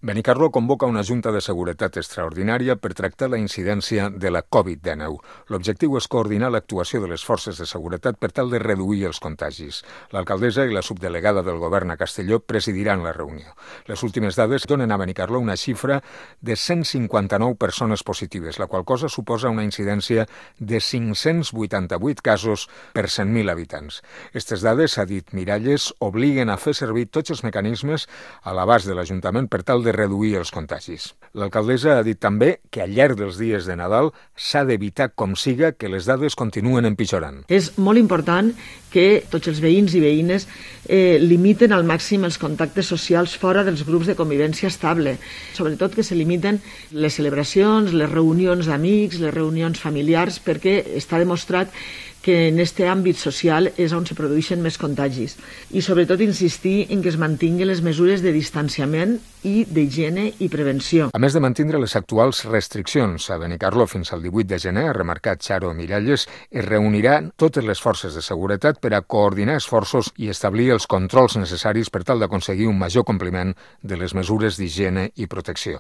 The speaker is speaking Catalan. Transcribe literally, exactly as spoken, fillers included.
Benicarló convoca una Junta de Seguretat extraordinària per tractar la incidència de la covid dinou. L'objectiu és coordinar l'actuació de les forces de seguretat per tal de reduir els contagis. L'alcaldessa i la subdelegada del govern a Castelló presidiran la reunió. Les últimes dades donen a Benicarló una xifra de cent cinquanta-nou persones positives, la qual cosa suposa una incidència de cinc-cents vuitanta-vuit casos per cent mil habitants. Aquestes dades, ha dit Miralles, obliguen a fer servir tots els mecanismes a l'abast de l'Ajuntament per tal de reduir els contagis. L'alcaldessa ha dit també que al llarg dels dies de Nadal s'ha d'evitar com siga que les dades continuen empitjorant. És molt important que tots els veïns i veïnes eh, limiten al màxim els contactes socials fora dels grups de convivència estable. Sobretot que se limiten les celebracions, les reunions d'amics, les reunions familiars, perquè està demostrat que en aquest àmbit social és on se produeixen més contagis. I sobretot insistir en que es mantinguin les mesures de distanciament i d'higiene i prevenció. A més de mantindre les actuals restriccions a Benicarló fins al divuit de gener, ha remarcat Charo Miralles, es reuniran totes les forces de seguretat per a coordinar esforços i establir els controls necessaris per tal d'aconseguir un major compliment de les mesures d'higiene i protecció.